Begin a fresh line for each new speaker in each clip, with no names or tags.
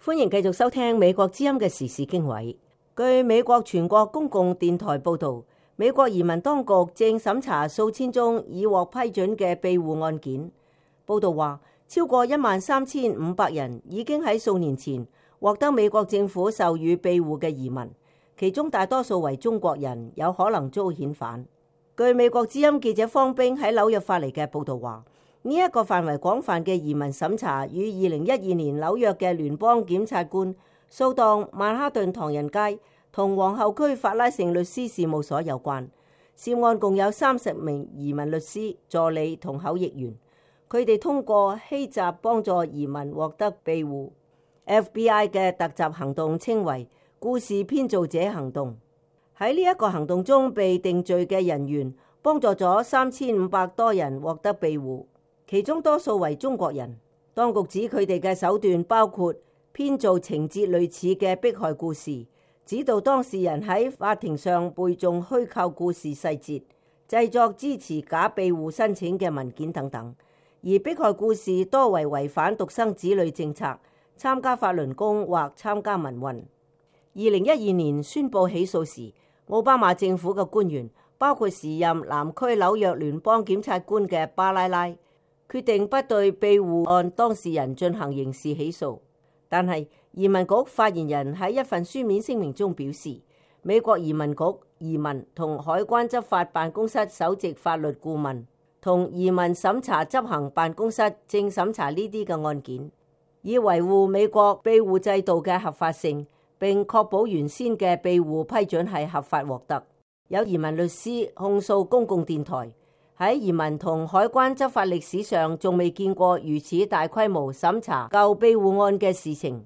歡迎繼續收聽美國之音嘅時事經緯。據美國全國公共電台報道，美國移民當局正審查數千宗已獲批准嘅庇護案件。報道話，超過13,500人已經喺數年前獲得美國政府授予庇護嘅移民，其中大多數為中國人，有可能遭遣返。據美國之音記者方冰喺紐約發嚟嘅報道話，呢一個範圍廣泛嘅移民審查與2012年紐約嘅聯邦檢察官掃蕩曼哈頓唐人街同皇后區法拉盛律師事務所有關。涉案共有30名移民律師、助理同口譯員，佢哋通過欺詐幫助移民獲得庇護。FBI 嘅突襲行動稱為故事編造者行動。喺呢一個行動中被定罪嘅人員幫助咗3500多人獲得庇護，其中多數為中國人。當局指佢哋嘅手段包括編造情節類似嘅迫害故事，指導當事人喺法庭上背誦虛構故事細節，製作支持假庇護申請嘅文件等等。而迫害故事多為違反獨生子女政策、參加法輪功或參加民運。2012年宣布起訴時，奧巴馬政府嘅官員，包括時任南區紐約聯邦檢察官嘅巴拉拉，決定不對庇護案當事人進行刑事起訴。但係移民局發言人喺一份書面聲明中表示，美國移民局移民同海關執法辦公室首席法律顧問同移民審查執行辦公室正審查呢啲嘅案件，以維護美國庇護制度嘅合法性，並確保原先嘅庇護批准係合法獲得。有移民律師控訴公共電台喺移民同海關執法歷史上仲未見過如此大規模審查舊庇護案嘅事情。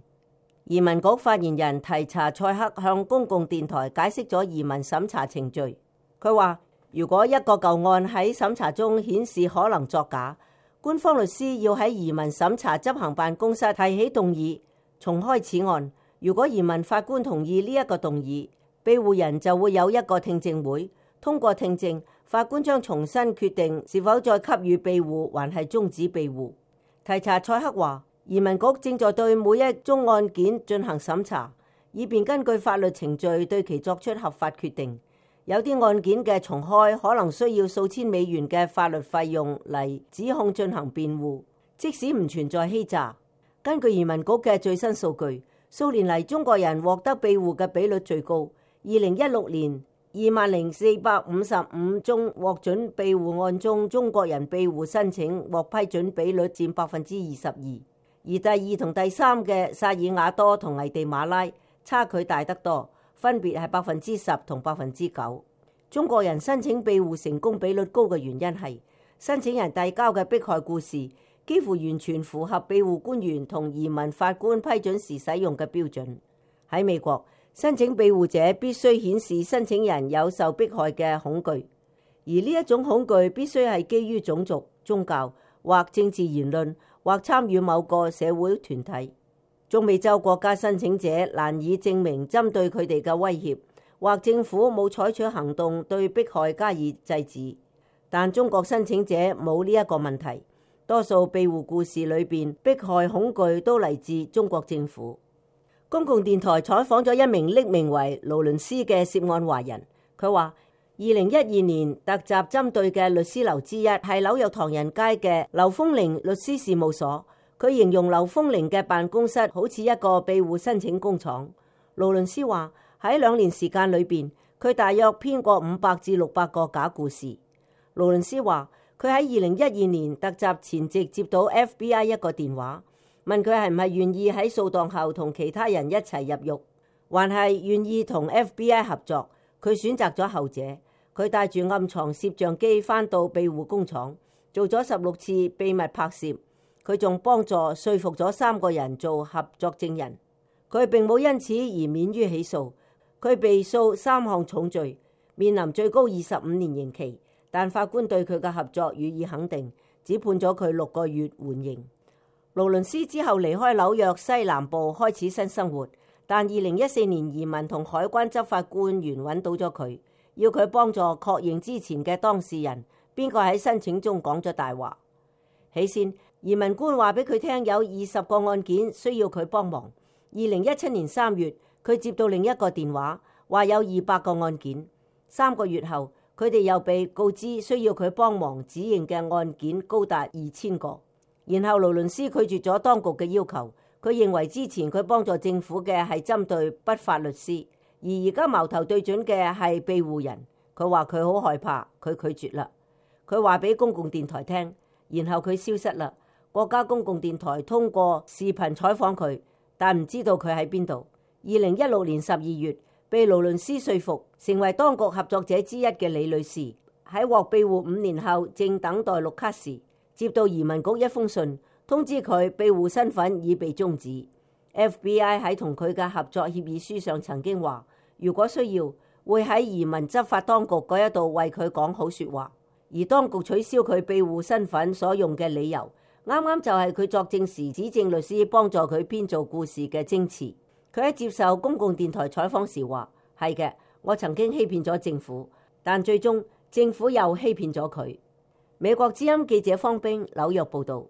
移民局發言人提查塞克向公共電台解釋咗移民審查程序。佢話，如果一個舊案喺審查中顯示可能作假，官方律師要喺移民審查執行辦公室提起動議，重開此案。如果移民法官同意呢一個動議，庇護人就會有一個聽證會，通過聽證，法官將重新決定是否再給予庇護，還係終止庇護。提查塞克話，移民局正在對每一宗案件進行審查，以便根據法律程序對其作出合法決定。有啲案件嘅重開可能需要數千美元嘅法律費用嚟指控進行辯護，即使唔存在欺詐。根據移民局嘅最新數據，數年嚟中國人獲得庇護嘅比率最高。2016年20,455宗獲准庇護案中，中國人庇護申請獲批准比率佔22%，而第二同第三嘅薩爾瓦多同危地馬拉差距大得多，分別係10%同9%。中國人申請庇護成功比率高嘅原因係申請人遞交嘅迫害故事幾乎完全符合庇護官員同移民法官批准時使用嘅標準。喺美國，申請庇護者必須顯示申請人有受迫害嘅恐懼，而呢一種恐懼必須係基於種族、宗教或政治言論，或參與某個社會團體。中美洲國家申請者難以證明針對佢哋嘅威脅，或政府冇採取行動對迫害加以制止。但中國申請者冇呢一個問題，多數庇護故事裏邊迫害恐懼都嚟自中國政府。公共電台採訪咗一名匿名為勞倫斯嘅涉案華人，佢話2012年突襲針對嘅律師樓之一係紐約唐人街嘅劉豐齡律師事務所。佢形容劉豐齡嘅辦公室好似一個庇護申請工廠。勞倫斯話喺2年時間裏邊，佢大約編過500至600個假故事。勞倫斯話佢喺2012年突襲前夕接到 FBI 一個電話，問佢係唔係願意喺掃蕩後同其他人一齊入獄，還係願意同 FBI 合作。佢選擇咗後者。佢帶住暗藏攝像機返到庇護工廠，做咗16次秘密拍攝。佢仲幫助說服咗3個人做合作證人。佢並冇因此而免於起訴。佢被訴3項重罪，面臨最高25年刑期，但法官對佢嘅合作予以肯定，只判咗佢6個月緩刑。勞倫斯之後離開紐約西南部開始新生活，但2014年移民同海關執法官員揾到咗佢，要佢幫助確認之前嘅當事人邊個喺申請中講咗大話。起先移民官話俾佢聽有20個案件需要佢幫忙， 2017年3月，佢接到另一個電話，話有200個案件。3個月後，佢哋又被告知需要佢幫忙指認嘅案件高達2000個。然後勞倫斯拒絕咗當局嘅要求，佢認為之前佢幫助政府嘅係針對不法律師，而家矛頭對準嘅係庇護人。佢話佢好害怕，佢拒絕啦。佢話俾公共電台聽，然後佢消失啦。國家公共電台通過視頻採訪佢，但唔知道佢喺邊度。2016年12月，被勞倫斯說服成為當局合作者之一嘅李女士，喺獲庇護5年後，正等待綠卡時，接到移民局一封信，通知佢庇護身份已被終止。FBI 喺同佢嘅合作協議書上曾經話，如果需要，會喺移民執法當局嗰一度為佢講好說話。而當局取消佢庇護身份所用嘅理由，啱啱就係佢作證時指證律師幫助佢編造故事嘅證詞。佢喺接受公共電台採訪時話，係嘅，我曾經欺騙咗政府，但最終政府又欺騙咗佢。美國之音記者方冰紐約報道。